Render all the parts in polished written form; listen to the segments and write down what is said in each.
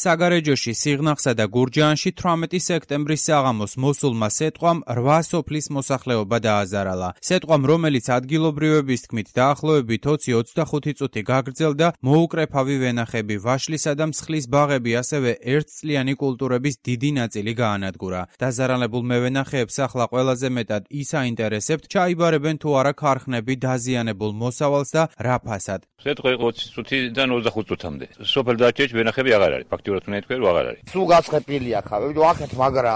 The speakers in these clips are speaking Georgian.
საგარეჯოში, სიღნაღსა და გურჯაანში 18 სექტემბრის საღამოს მოსულმა სეტყვამ 8 სოფლის მოსახლეობა დააზარალა. სეტყვამ, რომელიც ადგილობრივების თქმით დაახლოებით 20-25 წუთი გაგრძელდა, მოუკრეფავი ვენახები, ვაშლისა და მსხლის ბაღები, ასევე ერთწლიანი კულტურების დიდი ნაწილი გაანადგურა. დაზარალებულ მევენახეებს ახლა ყველაზე მეტად ის აინტერესებთ, ჩაიბარებენ თუ არა ქარხნები დაზიანებულ მოსავალს და რა ფასად. სეტყვი 20 წუთიდან 25 წუთამდე. სოფელ დარჩეში ვენახები აღარ არის. ფაქტიურად უნდა ითქვი, რომ აღარ არის. სულ გაცხეპილია ხა, ვიდრე აქეთ მაგრა.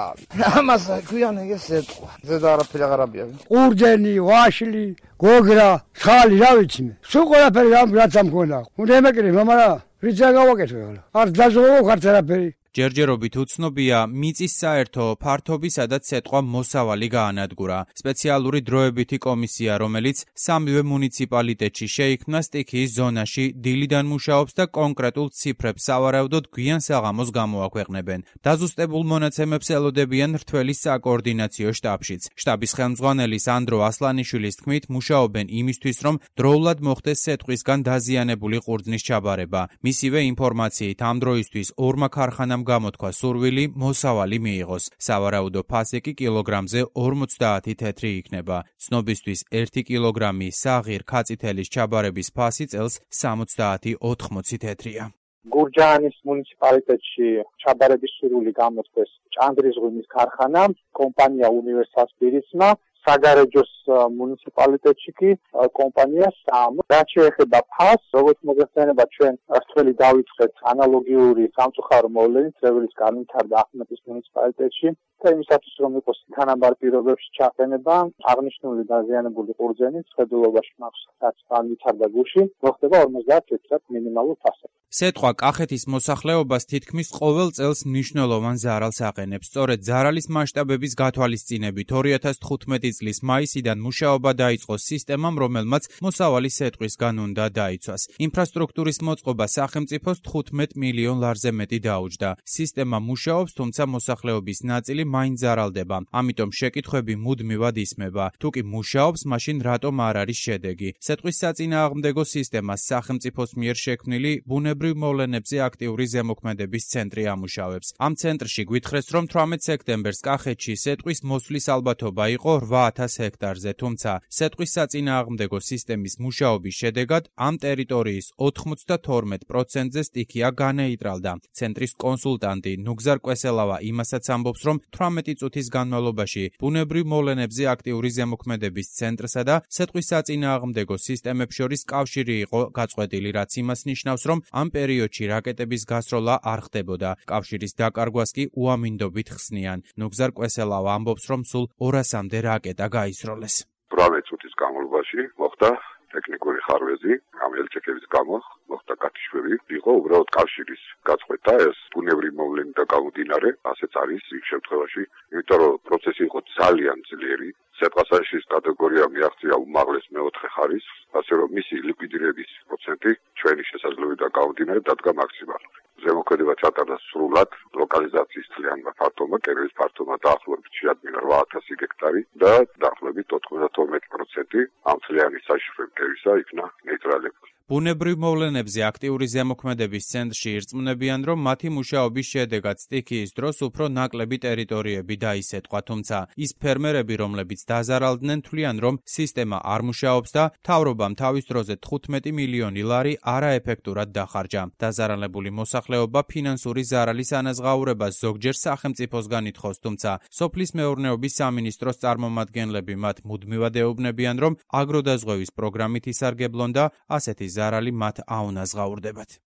ამას ქვიან ეგ სეტყვა. ზედა არაფერი აღარ აბია. ყურძენი, ვაშლი, გოგრა, ხალი, რა ვიცი მე. სულ ყველაფერი რაც ამ მქონდა. უნდა ემეკრე, მაგრამ რიცა გავაკეთე ხოლმე. არ დაჟოვო ხარც არაფერი. ჯერჯერობით უცნობია მიწის საერთო ფართობი, სადაც სეტყვა მოსავალი გაანადგურა. სპეციალური დროებითი კომისია, რომელიც სამივე მუნიციპალიტეტში შეიქმნა, სტიქიის ზონაში დილიდან მუშაობს და კონკრეტულ ციფრებს სავარაუდოდ გვიან საღამოს გამოაქვეყნებენ. დაზუსტებულ მონაცემებს ელოდებიან რთველის საკოორდინაციო შტაბშიც. შტაბის ხელმძღვანელი სანდრო ასლანიშვილის თქმით, მუშაობენ იმისთვის, რომ დროულად მოხდეს სეტყვისგან დაზიანებული ყურძნის ჩაბარება. მისივე ინფორმაციით ამ დროისთვის ორმა ქარხანამ გამოთქვა სურვილი მოსავალი მიიღოს. სავარაუდო ფასი კი კილოგრამზე 50 თეთრი იქნება. ცნობისთვის 1 კილოგრამი საღირ ქაწითელის ჩაბარების ფასი წელს 70-80 თეთრია. გურჯაანის მუნიციპალიტეტში ჩაბარების სურვილი გამოთქვეს ჭანდრის ღვინის ქარხანამ, კომპანია უნივერსალ სპირიტსმა, საგარეჯოს მუნიციპალიტეტში კი კომპანია სამ. რაც შეეხება ფასს, როგორც მოგეხსენება, ჩვენ რთველი დავიწყეთ ანალოგიური სამწუხარო მოვლენით, რევლის განვითარდა ახმეტის მუნიციპალიტეტში და იმისათვის, რომ იყოს თანაბარ პირობებში ჩაყენება, აღნიშნული დაზიანებული ყურძენი ცხედულობაში მაქვს, რაც განვითარდა გუში, მოხდება 50 თეთრად მინიმალურ ფასად. სეტყვა კახეთის მოსახლეობას თითქმის ყოველ წელს მნიშვნელოვან ზარალს აყენებს. სწორედ ზარალის მასშტაბების გათვალისწინებით 2015 წლის მაისიდან მუშაობა დაიწყო სისტემამ, რომელმაც მოსავალი სეტყვისგან უნდა დაიცვას. ინფრასტრუქტურის მოწყობა სახელმწიფოს 15 მილიონ ლარზე მეტი დაუჯდა. სისტემა მუშაობს, თუმცა მოსახლეობის ნაწილი მაინც ზარალდება. ამიტომ შეკითხვები მუდმივად ისმება. თუ კი მუშაობს, მაშინ რატომ არ არის შედეგი? სეტყვის საწინააღმდეგო სისტემას სახელმწიფოს მიერ შექმნილი ბუნებრივ მოვლენებზე აქტიური ზემოქმედების ცენტრი ამუშავებს. ამ ცენტრში გვითხრეს, რომ 18 სექტემბერს კახეთში სეტყვის მოსვლის ალბათობა იყო 8,000 ჰექტარზე, თუმცა სეტყვის საწინააღმდეგო სისტემის მუშაობის შედეგად ამ ტერიტორიის 92%-ზე სტიქია განეიტრალდა. ცენტრის კონსულტანტი ნუგზარ კვესელავა იმასაც ამბობს, რომ 18 წუთის განმავლობაში ბუნებრივ მოვლენებზე აქტიური ზემოქმედების ცენტრსა და სეტყვის საწინააღმდეგო სისტემებს შორის კავშირი იყო გაწყვეტილი, რაც იმას ნიშნავს, რომ ამ პერიოდში რაკეტების გასროლა არ ხდებოდა. კავშირის დაკარგვას კი უამინდობით ხსნიან. ნუგზარ კვესელავა ამბობს, რომ სულ 200-მდე რაკეტა გაისროლეს. 18 წუთის განმავლობაში მოხდა ტექნიკური ხარვეზი, ამ ელჩეკების გამო მოხდა გათიშვები, იყო უბრალოდ კავშირის გაწყვეტა, ეს ბუნებრივი მოვლენი და გამომდინარე, ასეც არის იმ შემთხვევაში, იმიტომ რომ პროცესი იყო ძალიან ძლიერი. სეტყვასაშის კატეგორია მიაღწია უმაღლეს მეოთხე ხარისხს, ასე რომ მისი ლიკვიდირების პროცენტი ჩვენი შესაძლებლობიდან გამომდინარე დადგა მაქსიმალური. ზემოქმედება ჩატარდა სრულად, ლოკალიზაციის თლიანმა ფართობმა, კერების ფართობმა დაახლოებით შეადგინა 8,000 ჰექტარი და დაახლოებით 92% ამ თლიანი საშიშროების კერისა იქნა ნეიტრალებული. ბუნებრივ მოვლენებზე აქტიური ზემოქმედების ცენტრში ირწმუნებიან, რომ მათი მუშაობის შედეგად სტიქიის დროს უფრო ნაკლები ტერიტორიები დაისეტყვა, თუმცა ის ფერმერები, რომლებიც დაზარალდნენ, თვლიან, რომ სისტემა არ მუშაობს და მთავრობამ თავის დროზე 15 მილიონი ლარი არაეფექტურად დახარჯა. დაზარალებული მოსახლეობა ფინანსური ზარალის ანაზღაურებას ზოგჯერ სახელმწიფოსგან ითხოვს, თუმცა სოფლის მეურნეობის სამინისტროს წარმომადგენლები მათ მუდმივად ეუბნებიან, რომ აგროდაზღვევის პროგრამით ისარგებლონ და ასეთი ზარალი მათ აუნაზღაურდებათ.